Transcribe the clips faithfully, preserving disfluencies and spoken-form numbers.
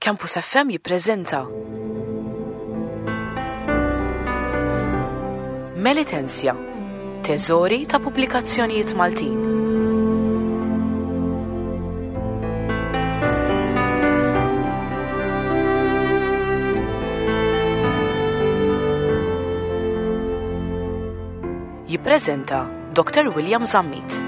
Campus F M jippreżenta Melitensia, teżori ta' pubblikazzjonijiet Maltin. Jippreżenta Doctor William Zammit.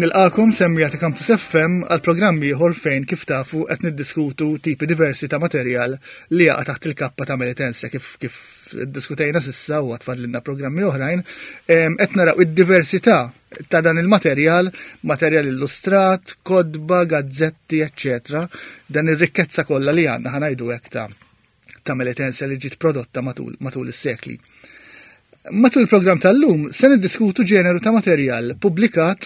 Nilqakom semmija ta' Campus F M għal programm ieħor fejn kif tafu qed niddiskutu tipi diversi ta' materjal li jaqa' taħt il-kappa ta' Melitensia kif, kif iddiskutejna sissa u għatfadlilna programmi oħrajn, em, qed naraw id-diversità ta' dan il-materjal, materjal illustrat, kotba, gazzetti, eċċetera. Dan ir-rikkezza kollha li għandna ħanajdu hekk ta', ta' Melitensia li ġiet prodotta matul, matul is-sekli. Matul il-programm tal-lum se niddiskutu ġeneru ta' materjal pubblikat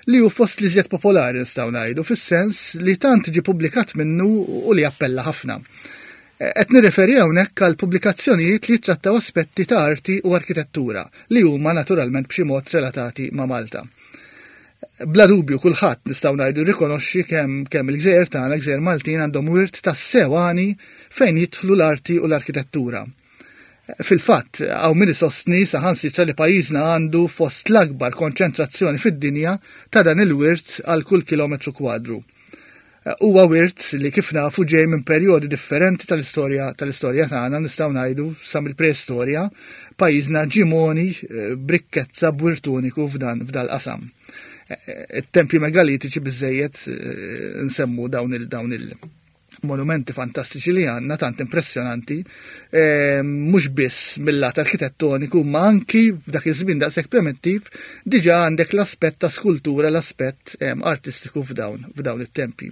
li hu fost li żjed popolari nistgħu ngħidu, fis-sens li tant ġie pubblikat minnu u li appella ħafna. Qed nirreferi hawnhekk għal pubblikazzjonijiet li jittrattaw aspetti ta' arti u arkitettura li huma naturalment b'xi mod relatati ma' Malta. Bla dubju kulħadd nistgħu ngħidu rikonoxxi kemm, kemm il-gżejjer tagħna, gżejjer Maltin, għandhom wirt tas-sewani fejn jidħlu l-arti u l-arkitettura. Fil-fatt, hawn min isostni saħansitra li pajjiżna għandu fost l-akbar konċentrazzjoni fid-dinja ta' dan il-wirt għal kull kilometru kwadru. Huwa wirt li kif nafu ġej minn perjodi differenti tal-istorja, tal-istorja tagħna, nistgħu ngħidu sa mill-preistorja, pajjiżna ġimoni, eh, brikkezza b'wirt uniku f'dan, f'dal qasam. Eh, it-tempji megalitiċi biżejjed, eh, nsemmu dawn il-, dawn il monumenti fantastiċi li għandna, tant impressjonanti, eh, mhux biss mill-lat arkitettoniku, ma anki f'dak iż-żmien daqshekk premettiv diġà għandek l-aspett ta' skultura, l-aspett, eh, artistiku f'dawn, f'dawn it-tempji.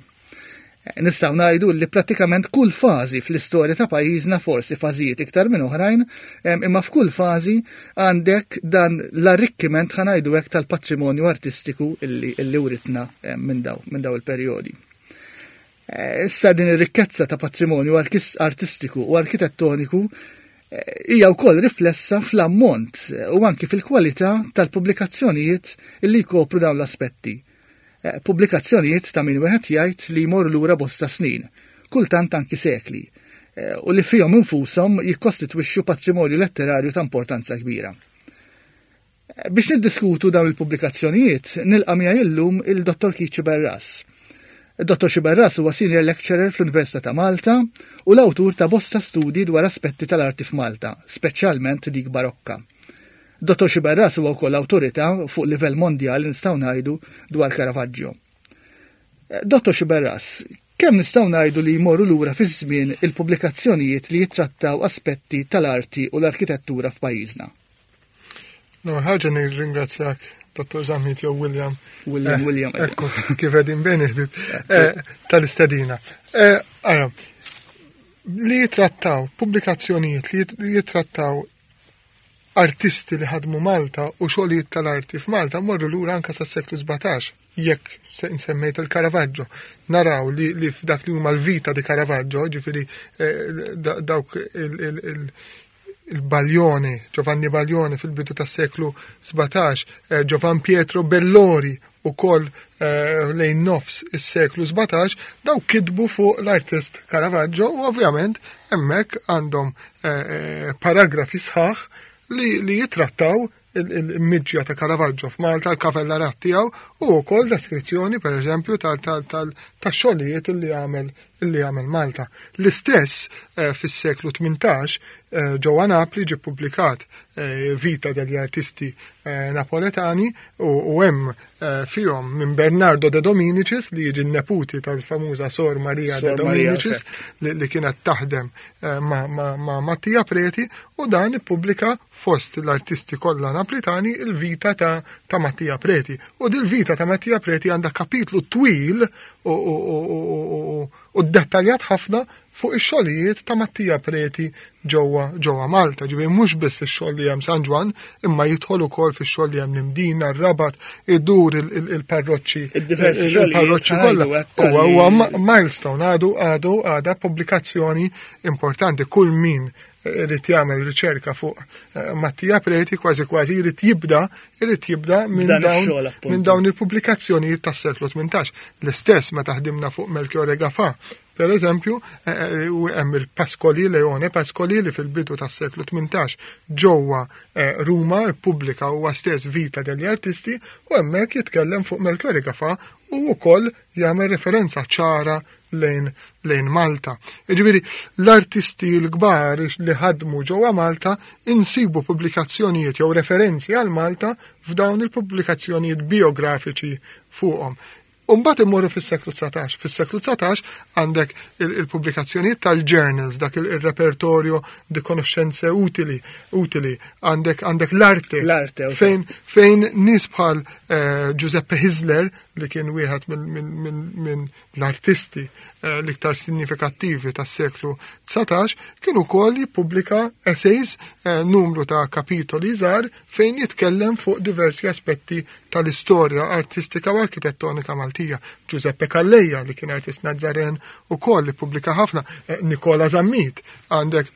Eh, nistgħu ngħidu li prattikament kull fażi fl-istorja ta' pajjiżna, forsi fażijiet iktar minn oħrajn, eh, imma f'kull fażi għandek dan l-arrikkiment ħa ngħidu hekk tal-patrimonju artistiku illi, illi writna, eh, minn daw, minn daw il-perjodi. Eh, issa din ir-rikkezza ta' patrimonju arkis-, artistiku u arkitettoniku, eh, hija wkoll riflessa fl-ammont, eh, u anki fil-kwalità tal-pubblikazzjonijiet illi jkopru dawn l-aspetti. Eh, pubblikazzjonijiet ta' min wieħed jgħid li jmorru lura bosta snin, kultant anki sekli, eh, u li fihom infushom jikkostitwixxu patrimonju letterarju ta' importanza kbira. Eh, biex niddiskutu dawn il-pubblikazzjonijiet, nilqa' miegħi llum il-Dottor Keith Sciberras. Dottor Sciberras huwa senior lecturer fl-Università ta' Malta u l-awtur ta' bosta studji dwar aspetti tal-arti f'Malta, speċjalment dik barokka. Dottor Sciberras huwa wkoll awtorità fuq livell mondjali nistgħu ngħidu dwar Caravaggio. Dottor Sciberras, kemm nistgħu ngħidu li jmorru lura fiż-żmien il-pubblikazzjonijiet li jittrattaw aspetti tal-arti u l-arkitettura f'pajjiżna? No, ħaġa nirringrazzjak, Dottor Zammit jew William. William, Eh, William, ejja. Ekku, kif qegħdin bejn il-ħbieb, eh, tal-istedina. Eh, ara, li jitrattaw pubblikazzjonijiet li jit-, jitrattaw artisti li ħadmu Malta u xogħlijiet tal-arti f'Malta morru lura anke sas-seklu sbatax, jekk se nsemmejt il-Caravaggio. Naraw li, li f'dak li huma l-vita di Caravaggio, ġifieri, eh, da-, dawk il-, il-, il-, il-Baglione, Giovanni Baglione fil-bidu tas-seklu sbatax, eh, Giovan Pietro Bellori u koll, eh, lejn nofs is-seklu sbatax, daw kitbu fuq l-artist Caravaggio u ovvjament hemmhekk għandhom, eh, eh, paragrafi sħaħ li, li jitrattaw il-, il-miġja ta' Caravaggio f'Malta, l-kavellarat tiegħu u wkoll deskrizzjoni pereżempju tal-, tal-, tal-, tax-xogħlijiet li għamel, li għamel Malta. L-istess, eh, fis-seklu tmintax, eh, ġewwa Napli ġie ppubblikat, eh, Vita degli artisti, eh, napoletani u, u hemm, eh, fihom minn Bernardo de Dominicis li jiġi n-neputi tal-famuża Sor Maria de Sor Maria, Dominicis ok. li, li kienet taħdem, eh, ma, ma, ma' Mattia Preti u dan ippubblika fost l-artisti kollha napolitani il-vita ta', ta' Mattia Preti. U dil-vita ta' Mattia Preti għandha kapitlu twil u, u, u, u, u, u, u dettaljat ħafna fuq ix-xogħlijiet ta' Mattia Preti ġewwa, ġewwa Malta. Ġifieri mhux biss ix-xogħol li hemm San Ġwann, imma jidħol ukoll fix-xogħol li hemm l-Imdina, r-Rabat, idur il-, il-, il-parroċċi, Id-diversi il-, xogħlijiet il-parroċċi ħajdu kollha. hekk Huwa, tal-li huwa ma-, milestone, għadu, għadu, għadha pubblikazzjoni importanti. Kull min irid jagħmel riċerka fuq eh, Mattia Preti, kważi kważi jrid jibda jrid jibda minn Dan dawn ix-xogħol, appuntu. minn dawn il-pubblikazzjonijiet tas-seklu tmintax. L-istess meta ħdimna fuq Melchiorre Gafà. Per eżempju, eh, eh, u hemm il-Pascoli, Leone Pascoli, li fil-bidu tas-seklu tmintax ġewwa eh, Ruma ippubblika huwa stess Vita degli Artisti u hemmhekk jitkellem fuq Melchiorre Gafà u wkoll jagħmel referenza ċara lejn, lejn Malta. Jiġifieri l-artisti l-kbar li ħadmu ġewwa Malta insibu pubblikazzjonijiet jew referenzi għal Malta f'dawn il-pubblikazzjonijiet biografiċi fuqhom. Umbagħad immorru fis-seklu dsatax. Fis-seklu dsatax għandek il- il-pubblikazzjonijiet tal-journals, dak il- il-repertorio di conoscenze utili, utili. Għandek għandek l-arte. L-arte, ok. Fejn fejn nies bħal eh, Giuseppe Hyzler, li kien wieħed minn min, min, min l-artisti eh, l-iktar sinifikattivi tas-seklu dsatax, kien ukoll jippubblika essays, eh, numru ta' kapitoli żgħar fejn jitkellem fuq diversi aspetti tal-istorja artistika u arkitettonika Maltija. Giuseppe Calleja, li kien artist Nazzaren, ukoll ippubblika ħafna, eh, Nicola Zammit, għandek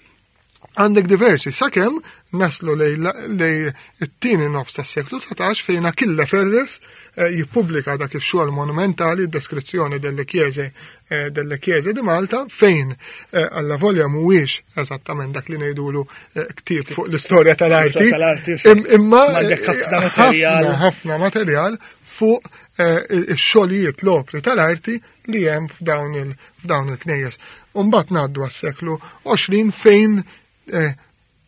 għandek diversi, sakemm naslu lej, lej it-tieni nofs tas-seklu dsatax fejn Achille Ferres eh, jippubblika dak ix-xogħol monumentali, deskrizzjoni delle chiese eh, delle chiese di Malta, fejn eh, alla volja mhuwiex eżattament dak li ngħidulu eh, ktieb fuq l-istorja tal-arti, L-istorja tal-arti, im- imma għandek ħafna eh, materjal. ħafna ħafna materjal fuq eh, ix-xogħlijiet, l-opri tal-arti li hemm f'dawn il- f'dawn il-knejjes. U mbagħad ngħaddu għas-seklu għoxrin fejn eh,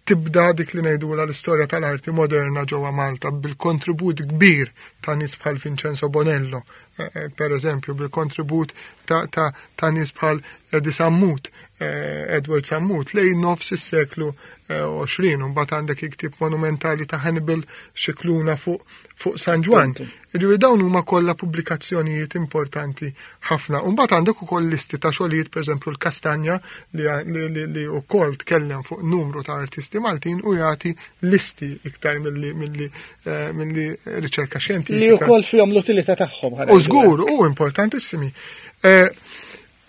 tibda dik li ngħidula l-istorja tal-arti moderna ġewwa Malta bil-kontribut kbir ta' nies bħal Vincenzo Bonello, eh, eh, per eżempju, bil-kontribut ta', ta, ta' nies bħal Eddie Sammut, eh, Edward Sammut, lejn nofs is-seklu eh, għoxrin, u mbagħad għandek il-ktieb monumentali ta' Hannibal Scicluna fuq fuq San Ġwann. Jiġifieri dawn huma kollha pubblikazzjonijiet importanti ħafna. U mbagħad għandek ukoll listi ta' xogħlijiet, pereżempju l-Kastanja li, li, li, li wkoll tkellem fuq numru ta' artisti Maltin u jagħti listi iktar milli milli eh, milli riċerka xjentifika. Li wkoll fihom l-utilità tagħhom. U żgur, u importantissimi. Eh,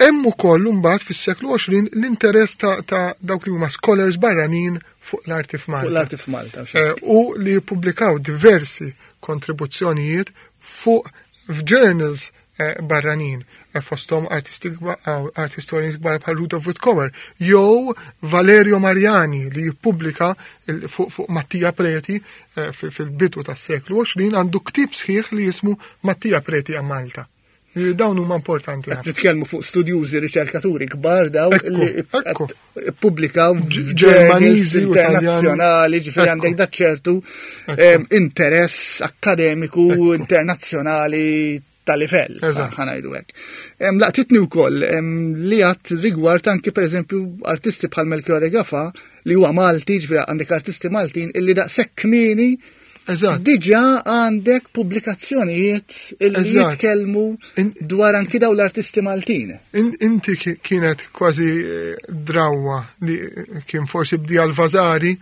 Hemm ukoll imbagħad fis-seklu għoxrin l-interess ta', ta' dawk li huma scholars barranin fuq l-arti f'Malta. Fuq l-arti f'Malta. Eh, u li jippubblikaw diversi kontribuzzjonijiet fuq f'journals eh, barranin, eh, fosthom artisti kba- ah, art historians kbar bħal Rudolf Wittkower jew Valerio Mariani li jippubblika il- fuq fuq Mattia Preti eh, fi- fil-bidu tas-seklu għoxrin għandu ktieb sħiħ li jismu Mattia Preti a Malta. Li dawn huma importanti Qed ħafna. nitkellmu fuq studjużi, riċerkaturi kbar daw Ekku, li ekku. qed ippubblikaw Ġ- f'journals Ġermaniżi u internazzjonali, ġifieri Ekku. għandek da ċertu Ekku. em, interess akkademiku Ekku. internazzjonali ta' livell, Eżatt. ħa ngħidu hekk. Em, Laqtitni wkoll em, li għat rigward anki pereżempju artisti bħal Melchiorre Gafà li huwa Malti, ġifieri għandek artisti Maltin illi daqshekk kmieni Eżatt. diġà għandek pubblikazzjonijiet illi Eżatt. jitkellmu In- dwar anki daw l-artisti Maltin. In, inti ki- kienet kważi eh, drawa li eh, kien forsi bdieha l-Vasari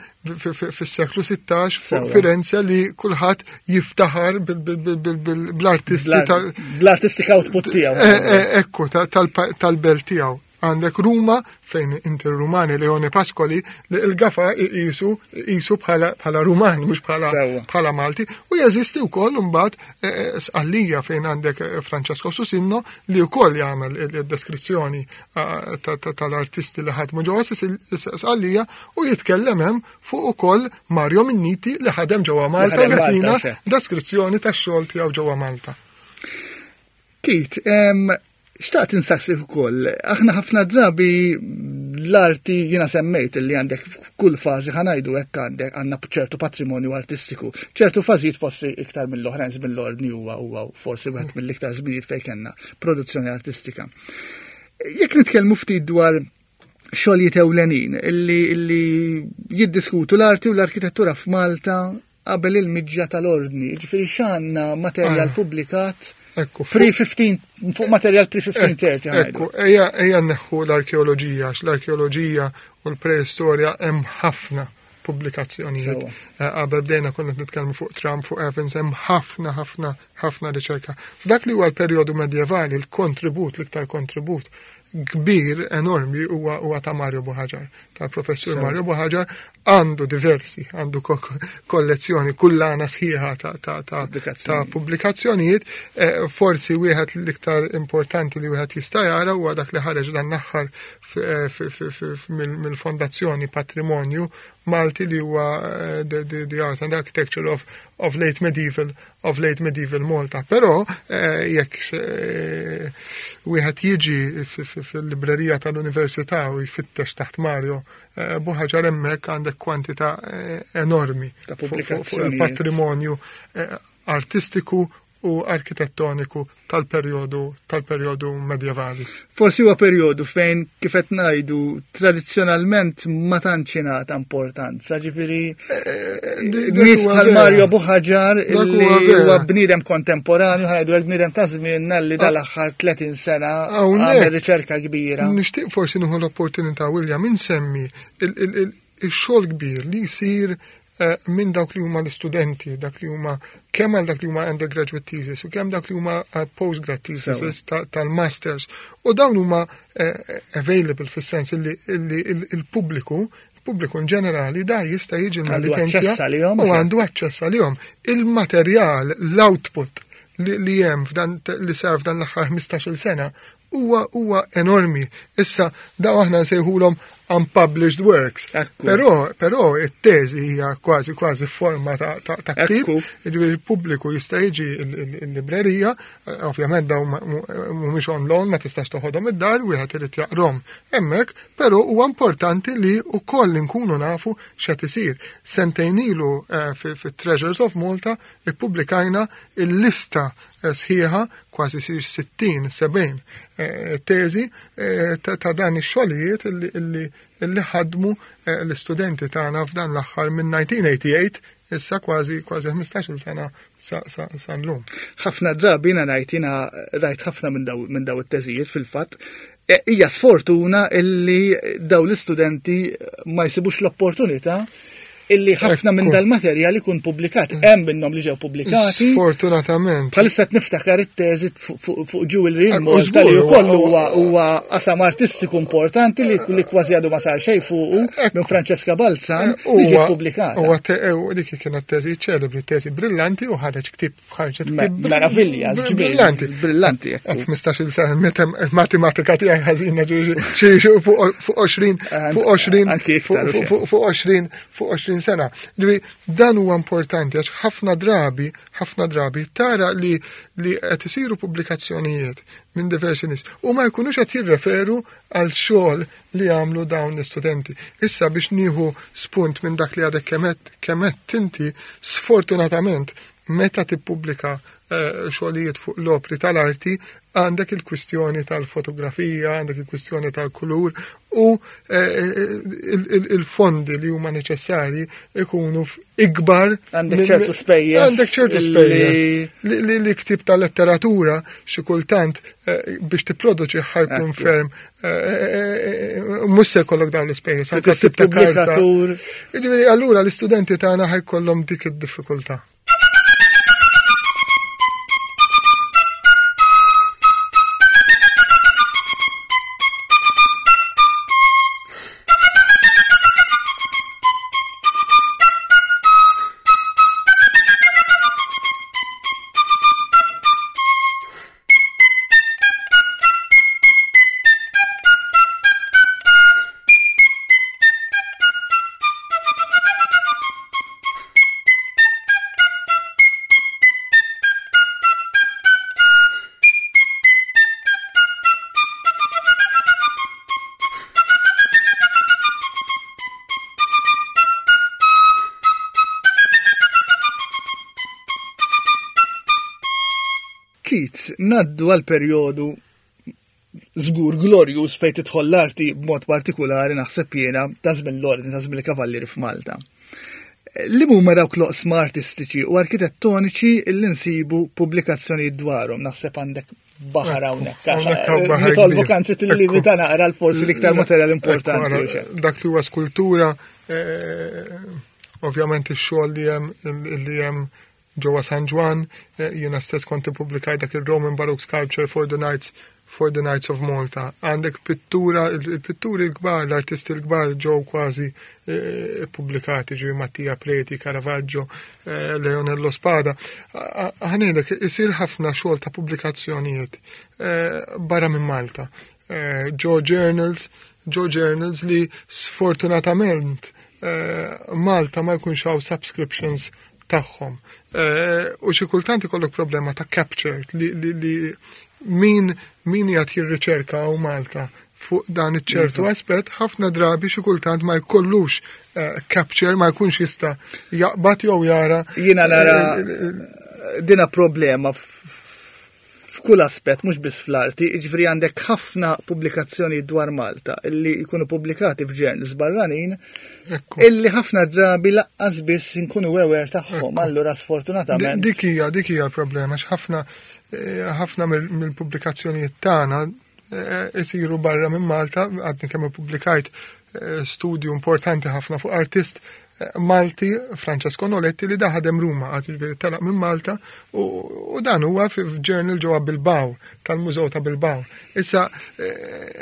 fis-seklu sittax fuq Sewa. Firenze li kulħadd jiftaħar bil- bil- bil- bil- bil- bl-artisti tal- Bl-artistic output tiegħu. Eh, eh, Ekku, ta- tal- tal-belt tiegħu. Għandek Ruma, fejn inti Rumani Leone Pascoli, li il-Gafà jisu jisu bħala bħala Ruman, mhux bħala Sewa. bħala Malti. U jeżisti wkoll imbagħad eh, eh, Sqallija fejn għandek eh, Francesco Susinno li wkoll jagħmel il-deskrizzjoni eh, ta- ta- tal-artisti li ħadmu ġewwa Sisil- Sqallija u jitkellem hemm fuq ukoll Mario Minniti li ħadem ġewwa Malta u ħadem Malta, jagħtina xe. deskrizzjoni tax-xogħol tiegħu ġewwa Malta. Keith, em, xtaqt insaqsik ukoll, aħna ħafna drabi l-arti jiena semmejt li għandek kull fażi ħa ngħidu hekk għandek għandna ċertu patrimonju artistiku. ċertu fażijiet forsi iktar mill-oħrajn, żmien l-ordni huwa huwa forsi wieħed mill-iktar żminijiet fejn kellna produzzjoni artistika. Jekk nitkellmu ftit dwar xogħlijiet ewlenin illi, illi jiddiskutu l-arti u l-arkitettura f'Malta qabel il-miġja tal-ordni, ġifieri x'għandna materjal Ah. pubblikat Ekku, fuq- pre-fifteen, fuq materjal pre-fifteen thirty. Ekku, ejja ejja neħħu l-arkeoloġija, għax l-arkeoloġija u l-preistorja hemm ħafna pubblikazzjonijiet. Sewa. Eh, Qabel bdejna konna nitkellmu fuq Trump, fuq Evans, hemm ħafna, ħafna, ħafna riċerka. F'dak li huwa l-perjodu medjevali, il-kontribut, l-iktar kontribut kbir enormi huwa huwa ta' Mario Buhagiar, tal-professur Mario Buhagiar, għandu diversi, għandu kollezzjoni kullana sħiħa ta' ta' ta' ta' pubblikazzjonijiet. Eh, forsi wieħed l-iktar importanti li wieħed jista' jara huwa dak li ħareġ dan l-aħħar mill-Fondazzjoni Patrimonju Malti, li huwa eh, the, the, the Art and Architecture of, of Late Medieval of Late Medieval Malta. Però eh, jekk eh, wieħed jiġi fil-librerija tal-Università u jfittex taħt Mario eh, Buhagiar, hemmhekk għandek kwantità eh, enormi ta' fuq- fuq pubblikazzjonijiet. il-patrimonju eh, artistiku u arkitettoniku tal-perjodu tal-perjodu medjevali. Forsi huwa perjodu fejn, kif qed ngħidu, tradizzjonalment ma tantx ingħata importanza, ġifieri Dik nies huwa bħal vera. Mario Buhagiar Dak illi huwa vera. huwa bniedem kontemporanju, ħa ngħidu hekk, bniedem ta' żmienna li dal-aħħar tletin sena Hawnhekk għamel riċerka kbira. Nixtieq forsi nieħu l-opportunità, William, insemmi il- il- il- il-xogħol kbir li jsir eh, minn dawk li huma l-istudenti, dak li huma kemm għal dak li huma undergraduate thesis u kemm dak li huma għal postgrad thesis ta- tal-masters. U dawn huma eh, available fis-sens illi illi il- il-pubbliku il-pubbliku in ġenerali da jista' jiġi Għandu l-Melitensia aċċess għalihom, u għandu aċċess għalihom. Il-materjal, l-output li, li hemm f'dan li sar f'dan l-aħħar ħmistax-il sena huwa huwa enormi. Issa daw aħna nsejħulhom unpublished works. Ekku. Però però it-teżi hija kważi kważi forma ta' ta', ta' ktieb, Ekku. jiġifieri il-pubbliku jista' jiġi il- il- il-librerija, eh, ovvjament dawn ma- mu- mhumiex on loan, ma tistax toħodhom id-dar, wieħed irid jaqrom hemmhekk, però huwa importanti li wkoll inkunu nafu x'qed isir. Sentejn ilu eh, fi fi Treasures of Malta ippubblikajna il-lista eh, sħiħa, kważi sir sittin, sebgħin, eh, teżi, eh, ta' ta' dan ix-xogħlijiet illi, illi, illi ħadmu, eh, l-istudenti tagħna f'dan l-aħħar minn nineteen eighty-eight, issa kważi, kważi ħmistax-il sena sa, sa, sa llum. Ħafna drabi jiena ngħid, jiena rajt ħafna minn daw, minn daw it-teżijiet fil-fatt. E, hija sfortuna illi daw l-istudenti ma jsibux l-opportunità illi ħafna minn Ekku. dal-materjal ikun pubblikat. Hemm minnhom li ġew pubblikati. Sfortunatament. Bħalissa qed niftakar it-teżi fuq, fuq, fuq Jewelry in Ekku, Malta li żgur, wkoll huwa- huwa, huwa qasam artistiku importanti li, li kważi għadu ma sar xejn fuqu Ekku. minn Francesca Balzan Eh, li ġiet huwa- pubblikata. Huwa te-, eh, u dik kienet teżi ċelebri, teżi brillanti u ħareġ ktieb, ħarġet Me- ktieb Meravilja, br- ġmiel, brillanti. Brillanti, ekku. Għad ħmistax-il sena, meta il-matematika tiegħi ħażina ġi-, xi, xi fuq, fuq għoxrin, An- fuq għoxrin, anki iktar fuq, u xejn. fuq, fuq għoxrin, fuq għoxrin sena. Ġifieri, dan huwa importanti għax ħafna drabi, ħafna drabi tara li, li qed isiru pubblikazzjonijiet minn diversi nies u ma jkunux qed jirreferu għal xogħol li għamlu dawn l-istudenti. Issa biex nieħu spunt minn dak li għadek kemet, kemet inti, sfortunatament meta tippubblika, eh, xogħlijiet fuq l-opri tal-arti, għandek il-kwistjoni tal-fotografija, għandek il-kwistjoni tal-kulur u, eh, il-, il-, il-fondi li huma neċessarji ikunu f-, ikbar Għandek minn- ċertu spejjeż Għandek ċertu illi spejjeż. Li, li, li ktib tal-letteratura xi kultant, eh, biex tipproduċi ħajkun Ekku. ferm, eh, eh, eh, mhux se jkollok dawn l-ispejjeż, Trid anke issib ktib ta' karta. pubblikatur. Jiġifieri, allura l-istudenti tagħna ħajkollhom dik id-diffikultà. Keith, naddu għal perjodu żgur glorjus fejn tidħol l-arti b'mod partikulari naħseb jiena ta' żmien l-ordni, ta' żmien il-kavallieri f'Malta. Li huma dawk l-oqsma artistiċi u arkitettoniċi li nsibu pubblikazzjonijiet dwarhom, naħseb għandek baħar hawnhekk. Hawnhekk hawn baħar Nitolbu kbir. kanzi tillimita Ekku. naqra l-forsi l-iktar materjal importanti Ekku, u xejn. Dak li huwa skultura, eh, ovvjament ix-xogħol li hemm, li hemm ġewwa San Ġwann, eh, jiena stess kont ippubblikaj dak il-Roman Baroque Sculpture for the Knights, for the Knights of Malta. Għandek pittura, il-pitturi l-kbar, l-artisti l-kbar ġew kważi eh, pubblikati, ġew Mattia Preti, Caravaggio, eh, Leonello Spada. Ħa ngħidlek, isir ħafna xogħol ta' pubblikazzjonijiet eh, barra minn Malta. Ġo journals, ġo journals li sfortunatament Malta ma jkunx hawn subscriptions tagħhom. U xi kultant ikollok problema ta' capture li, li, li min min jgħat jirriċerka u Malta fuq dan iċ-ċertu aspett, ħafna drabi xi kultant ma jkollux uh, capture, ma jkunx jista' jaqbad jew jara. Jiena nara dina problema f'kull aspett, mhux biss fl-arti, jiġifieri għandek ħafna pubblikazzjoni dwar Malta illi jkunu pubblikati f'journals barranin, illi ħafna drabi lanqas biss inkunu aware tagħhom, allura sfortunatament. Dik hija dik hija l-problema, ħafna ħafna mill-pubblikazzjonijiet tagħna isiru barra minn Malta. Għadni kemm ippubblikajt studju importanti ħafna fuq artist Malti, Francesco Noletti, li ħadem Ruma, għad ġifieri telaq minn Malta, u dan huwa f'journal ġewwa Bilbao, tal-Mużew ta' Bilbao. Issa,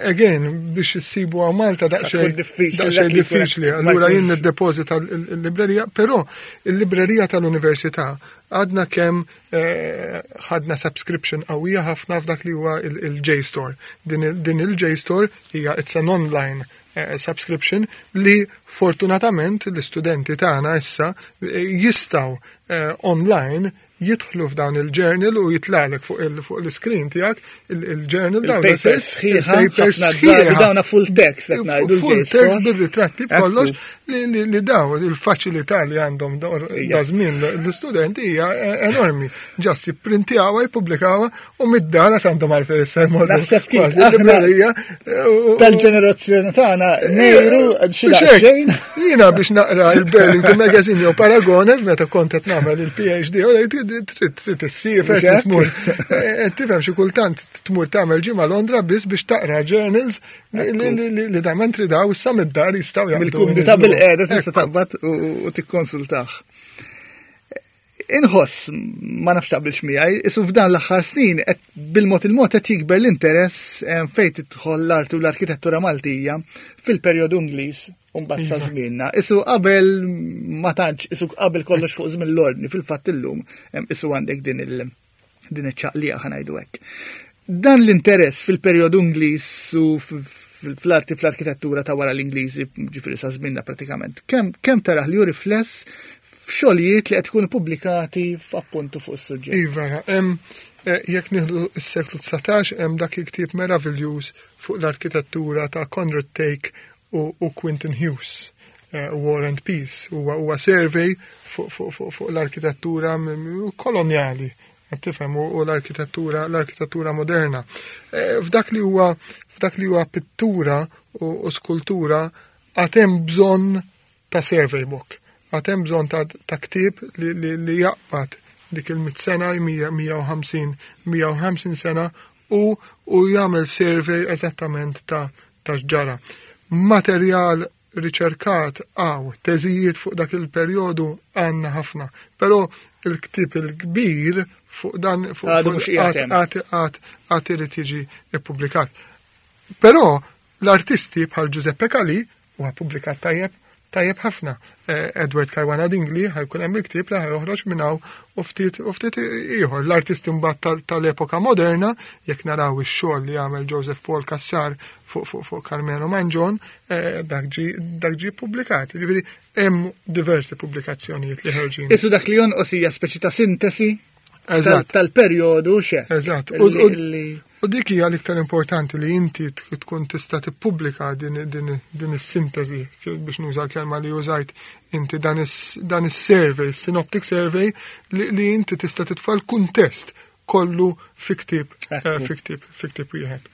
again, biex issibu għaw Malta daqsxejn daqsxejn diffiċli, allura jien niddepożita l-librerija, però il-librerija tal-Università għadna kemm ħadna subscription qawwija ħafna f'dak li huwa il-JSTOR. Din il-JSTOR hija it's an online subscription li fortunatament l-istudenti tagħna issa jistgħu online jidħlu f'dawn il-journal u jitlagħlek fuq l-screen tiegħek il-journal dawn. Il-papers sħiħa, dawna full text. Full text bir-ritratti b'kollox, li li daw il-faċilità li għandhom da żmien l-istudenti hija enormi. Just jipprintjawha, jippubblikawha u mid-dar għandhom għalfejn issa jmorru. Naħseb kif tal-ġenerazzjoni tagħna nejru xi xejn. Jiena biex naqra il-Burlington Magazine jew Paragone meta kont qed nagħmel il-P H D, trid trid issiefer, trid tmur. Tifhem, xi kultant tmur tagħmel ġimgħa Londra biss biex taqra journals li da mentri daw issa mid-dar jistgħu jagħmlu. Mill-kumdità bil-qiegħda tista' taqbad u tikkonsultah. Inħoss, ma nafx taqbilx miegħi, isu f'dan l-aħħar snin qed bil-mod il-mod qed jikber l-interess fejn tidħol l-arti u l-arkitettura Maltija fil-perjodu Ingliż u mbagħad sa żmienna. Isu qabel ma tantx, isu qabel kollox fuq żmien l-ordni, fil-fatt illum isu għandek din il din iċ-ċaqliqa, ħa ngħidu hekk. Dan l-interess fil-perjodu Ingliż u fl-arti, fl-arkitettura ta' wara l-Ingliżi, ġifieri sa żmienna pratikament, kemm kemm taraħ li hu rifless f'xogħlijiet li qed ikunu pubblikati f'appuntu fuq is-suġġett? Iva, hemm, jekk nieħdu s-seklu dsatax, hemm dak il-ktieb meraviljuż fuq l-arkitettura ta' Conrad Thake u, u Quinton Hughes, Uh, War and Peace, huwa huwa survey fuq fu, fu, fu l-arkitettura koloniali, tifhem, u l-arkitettura l-arkitettura moderna. F'dak li huwa f'dak li huwa pittura u, u skultura għad hemm bżonn ta' survey book. Għad hemm bżonn ta', ta ktieb li, li, li jaqbad dik il-mitt sena, mija u ħamsin, mija u ħamsin sena u, u jagħmel survey eżattament ta' ta' x'ġara. Materjal riċerkat għaw, teżijiet fuq dak il-perjodu għandna ħafna, però il-ktieb il-kbir fuq dan fuq għad għad irid jiġi ippubblikat. Però l-artisti bħal Giuseppe Calì huwa pubblikat tajjeb tajjeb ħafna. Edward Caruana Dingli ħa jkun hemm il-ktieb li ħa joħroġ minn hawn u ftit u ftit ieħor. L-artisti mbagħad tal-epoka moderna, jekk naraw ix-xogħol li għamel Joseph Paul Cassar fuq fuq fuq Karmenu Mangion, dak ġi dak ġi pubblikat. Ġifieri hemm diversi pubblikazzjonijiet li ħerġin. Isu dak li jonqos hija speċi ta' sintesi tal-perjodu xe. Eżatt. U dik hija l-iktar importanti, li inti tkun tista' tippubblika din din din is-sintesi, biex nuża l-kelma li użajt inti, dan is-survey, synoptic survey li, li inti tista' titfa' l-kuntest kollu fi ktieb fi ktieb fi ktieb wieħed.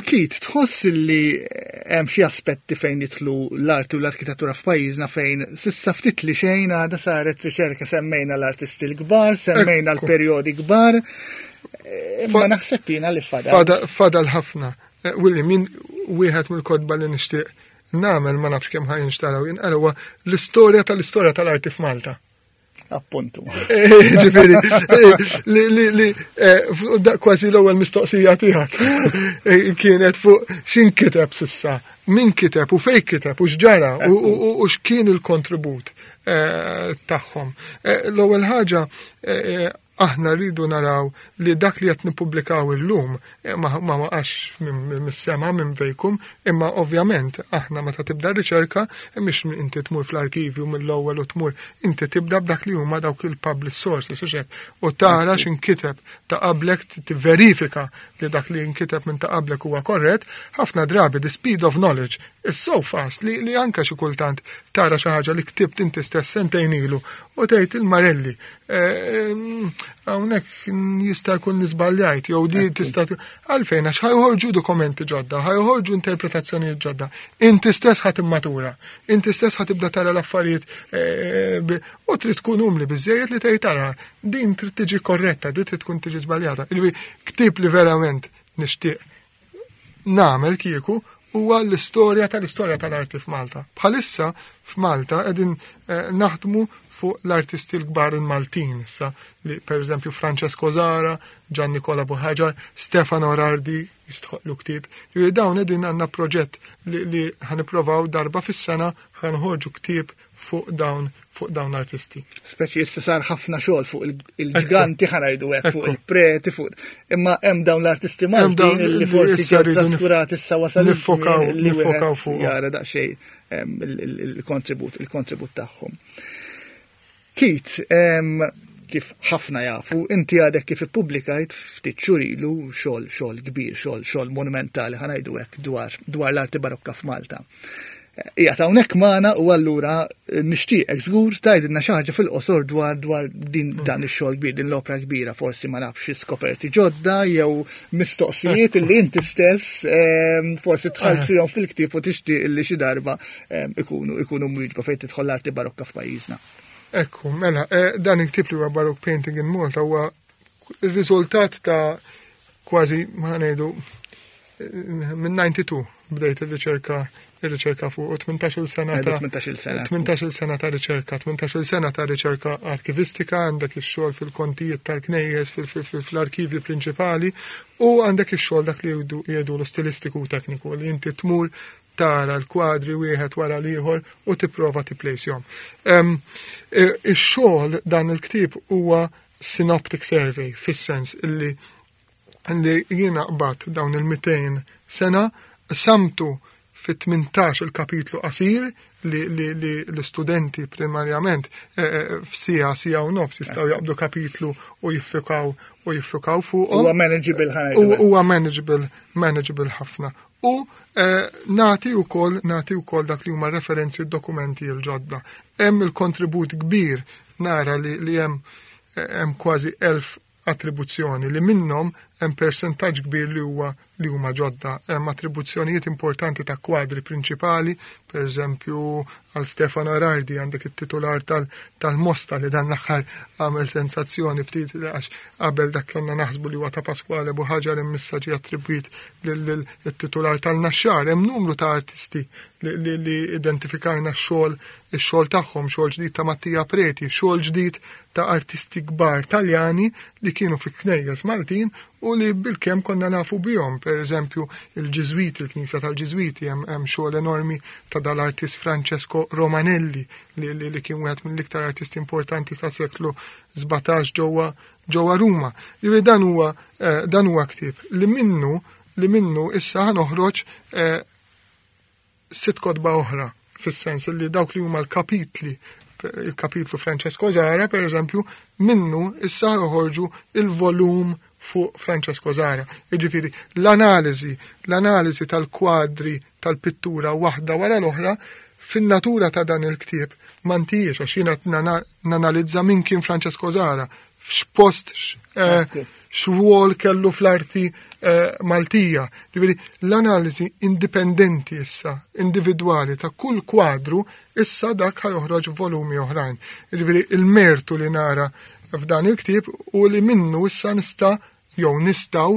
Keith, tħoss li hemm xi aspetti fejn jidħlu l-arti u l-arkitettura f'pajjiżna fejn s'issa ftit li xejn għadha saret riċerka? Semmejna l-artisti l-kbar, semmejna l-perjodi kbar. Ma naħseb jiena li fadal. Fadal ħafna. William, min wieħed mill-kotba li nixtieq nagħmel, ma nafx kemm ħa jinxtaraw jinqraw, l-istorja tal-istorja tal-arti f'Malta. Appuntu. Ġifieri, li li li kważi l-ewwel mistoqsija tiegħek kienet fuq x'inkiteb s'issa, min kiteb u fejn kiteb u x'ġara u x'kien il-kontribut tagħhom. L-ewwel ħaġa, aħna rridu naraw li dak li qed nippubblikaw illum ma ma waqax mis-sema, minn vacuum, imma ovvjament aħna meta tibda r-riċerka mhix inti tmur fl-arkivju mill-ewwel u tmur, inti tibda b'dak li huma dawk il-public sources u xek, u tara x'inkiteb ta' qablek, tivverifika li dak li nkiteb minn ta' qablek huwa korrett. Ħafna drabi the speed of knowledge is so fast li, li anka xi kultant tara xi ħaġa li ktibt inti stess sentejn ilu u tgħid il-Marelli, hawnhekk jista' jkun nisbaljajt jew di tista' għalfejn, għax ħa joħorġu dokumenti ġodda, ħa joħorġu interpretazzjonijiet ġodda. Inti stess ħa timmatura, inti stess ħa tibda tara l-affarijiet u trid tkun umli biżejjed li tgħid tara din trid tiġi korretta, din trid tkun tiġi żbaljata. Ktieb li verament nixtieq nagħmel kieku huwa l-istorja tal-istorja tal-arti f'Malta. Bħalissa f'Malta qegħdin naħdmu fuq l-artisti l-kbar il-Maltin issa, li pereżempju Francesco Zara, Gian Nicola Buhagiar, Stefano Rardi jistħoqlu ktieb. Ġifieri dawn qegħdin għandna proġett li, li ħa nipprovaw darba fis-sena ħa noħorġu ktieb fuq dawn fuq dawn l-artisti. Speċi issa sar ħafna xogħol fuq il-ġganti, ħa ngħidu hekk, fuq il-preti, fuq imma hemm dawn l-artisti Maltin li forsi ġew traskurati, issa wasal nifokaw nifokaw fuq jara daqsxejn il-kontribut il-kontribut tagħhom. Keith, kif ħafna jafu, inti għadek kif ippubblikajt ftit xhur ilu xogħol xogħol kbir, xogħol xogħol monumentali, ħa ngħidu hekk, dwar dwar l-arti barokka f'Malta. Qiegħed hawnhekk magħna u allura nixtieqek żgur tgħidilna xi ħaġa fil-qosor dwar dwar din dan ix-xogħol kbir, din l-opra kbira, forsi ma nafx skoperti ġodda jew mistoqsijiet li inti stess forsi dħalt fihom fil-ktieb u tixtieq li xi darba ikunu ikunu mwieġba fejn tidħol l-arti barokka f'pajjiżna. Ekku, mela, dan il-ktieb li huwa Baroque Painting in Malta huwa il-riżultat ta' kważi, ma ngħidu, minn disgħa u disgħin bdejt ir-riċerka ir-riċerka fuq u tmintax-il sena ta' tmintax-il sena. tmintax-il sena ta' riċerka, tmintax-il sena ta' riċerka arkivistika, għandek ix-xogħol fil-kontijiet tal-knejjes, fl-arkivji prinċipali, u għandek ix-xogħol dak li jgħidu l-stilistiku u tekniku, li inti tmur tara l-kwadri wieħed wara l-ieħor u tipprova tipplejsjhom. Ix-xogħol dan il-ktieb huwa synoptic survey, fis-sens illi li jiena qbad dawn il-mitejn sena, samtu fi tmintax il-kapitlu qasir li, li, li l-studenti primarjament f'sija, sija u nofs jistgħu jaqbdu kapitlu u jiffukaw u jiffukaw fuqhom. Huwa manageable ħafna. Huwa manageable, manageable ħafna. U nagħti wkoll nagħti wkoll dak li huma referenzi u dokumenti l-ġodda. Hemm il-kontribut kbir, nara li, li hemm hemm kważi elf attribuzzjoni li minnhom hemm persentaġġ kbir li huwa li huma ġodda. Hemm attribuzzjonijiet importanti ta' kwadri prinċipali, per eżempju għal Stefano Erardi għandek it-titular tal-Mosta li dan l-aħħar għamel sensazzjoni ftit, għax qabel dak konna naħsbu li huwa ta' Pasquale Buhagiar, imma ġie attribwit lil-titular tal-Naxxar. Hemm numru ta' artisti li, li, li identifikajna x-xogħol ix-xogħol tagħhom, xogħol ġdid ta' Mattia Preti, xogħol ġdid ta' artisti kbar Taljani li kienu fi knejjes Maltin u li bil-kemm konna nafu bihom. Per eżempju, il-Ġiżwiti, il-Knisja tal-Ġiżwiti, hemm xogħol enormi ta' dal-artist Francesco Romanelli li, li, li kien wieħed mill-iktar artisti importanti ta' seklu sbatax ġewwa ġewwa Ruma. Ġifieri dan huwa dan huwa ktieb li minnu li minnu issa ħa noħroġ sitt kotba oħra, fis-sens li dawk li huma l-kapitli, il-kapitlu Francesco Zara, per eżempju, minnu issa joħorġu il-volum fuq Francesco Zara. Jiġifieri l-analiżi, l-analiżi tal-kwadri tal-pittura waħda wara l-oħra fin-natura ta' dan il-ktieb ma ntijiex, għax jiena nanalizza min kien Francesco Zara, f'x'post, x'rwol kellu fl-arti Maltija. Ġifieri l-analiżi indipendenti issa, individwali ta' kull kwadru, issa dak ħa joħroġ volumi oħrajn. Ġifieri il-mertu li nara f'dan il-ktieb u li minnu issa nista' jew nistgħu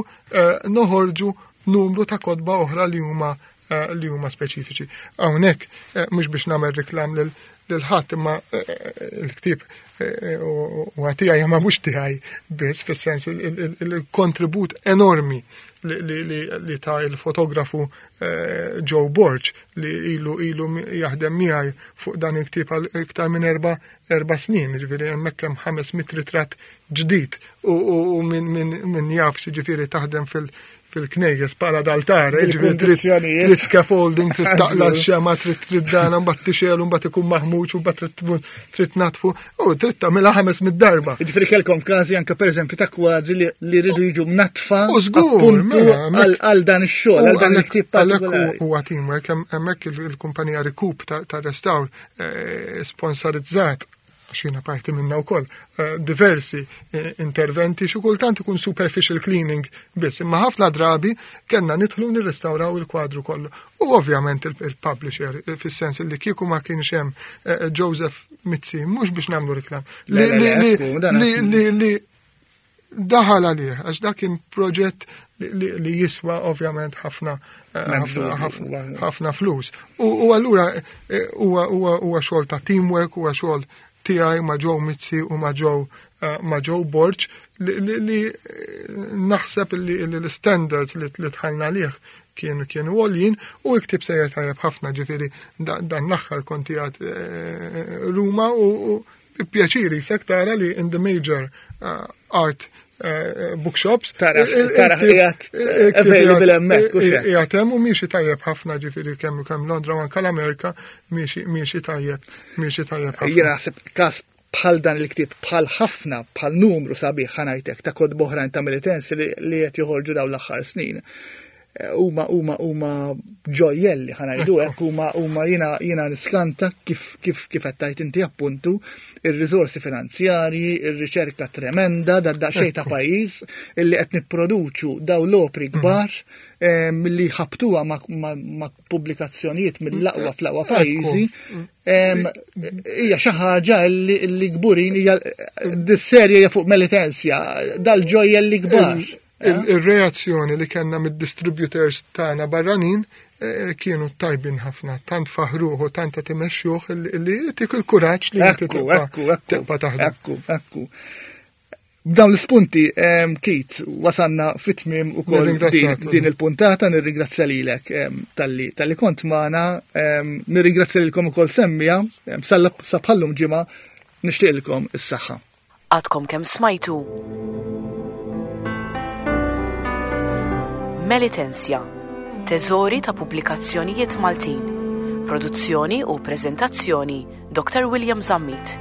noħorġu numru ta' kotba oħra li huma li huma speċifiċi. Hawnhekk mhux biex nagħmel reklam lil lil ħadd, imma eh, eh, il-ktieb eh, huwa tiegħi, ma mhux tiegħi biss, fis-sens il-kontribut enormi li ta' il-fotografu Joe Borg, li ilu ilu jaħdem miegħi fuq dan il-ktieb għal iktar minn erba' erba' snin, ġifieri hemmhekk hemm ħames mitt ritratt ġdid u min jaf ġifieri taħdem fil- fil-knejjes pala d'altare, ġifieri trid scaffolding, trid taqla x-xema, trid trid dana, mbagħad tixgħelu, mbagħad ikun maħmuġ, u mbagħad trid natfu, u trid tagħmilha ħames mitt darba. Ġifieri kellkom każi anke pereżempju ta' kwadri li rridu jiġu mnatfa appuntu mela, għal dan ix-xogħol, għal dan il-ktieb partikolari. Huwa teamwork, hemmhekk il-kumpanija Recoup ta' restawr eh, sponsorizzat, għax jiena parti minna wkoll, eh, diversi eh, interventi, xi kultant ikun superficial cleaning biss, imma ħafna drabi kellna nidħlu nirrestawraw il-kwadru kollu. U ovvjament il-publisher, eh, fis-sens li kieku ma kienx hemm Joseph Mizzi, mhux biex nagħmlu reklam, li li daħal għalih, għax dak kien proġett li jiswa ovvjament ħafna ħafna flus. U allura huwa xogħol ta' teamwork, huwa xogħol tiegħi ma' Joe Mizzi u ma' Joe eh, ma' Joe Borg li naħseb li l-standards li dħalna lih kienu kienu għoljin u l-ktieb sejjer tajjeb ħafna, ġifieri dan l-aħħar kont qiegħed eh, Ruma u pjaċiri sek tara li in the major eh, art bookshops. Tara, tara qiegħed available hemmhekk u xejn. Qiegħed hemm u miexi tajjeb ħafna, ġifieri kemm kemm Londra u anke l-Amerika miexi miexi tajjeb, miexi tajjeb ħafna. Jiena naħseb każ bħal dan il-ktieb, bħal ħafna, bħal numru sabiħ ħa ngħidlek ta' kotba oħrajn ta' Melitensi li qed joħorġu dawn l-aħħar snin. Huma huma huma ġojjelli ħa ngħidu hekk, huma huma jiena jiena niskanta kif kif kif qed tgħid inti appuntu ir-riżorsi finanzjarji, ir-riċerka tremenda da daqsxejn ta' pajjiż illi qed nipproduċu daw l-opri kbar milli ħabtuha ma' pubblikazzjonijiet mill-aqwa fl-aqwa pajjiżi. Hija xi ħaġa illi kburin, hija dis-serje hija fuq Melitensia, dal-ġojjelli kbar. Il-reazzjoni li kellna mid-distributors tagħna barranin eh, kienu tajbin ħafna, tant faħruħu, tant qed imexxuh li tik il-kuraġġ li inti tibqa' taħdem. Ekku, ekku. B'dawn l-ispunti, Keith, wasanna fit-tmiem ukoll din il-puntata, nirringrazzja lilek talli talli kont magħna, nirringrazzja lilkom ukoll semmija, sa bħallum ġimgħa, nixtieqilkom is-saħħa. Għadkom kemm smajtu Melitensia, teżori ta' pubblikazzjonijiet Maltin. Produzzjoni u preżentazzjoni Doctor William Zammit.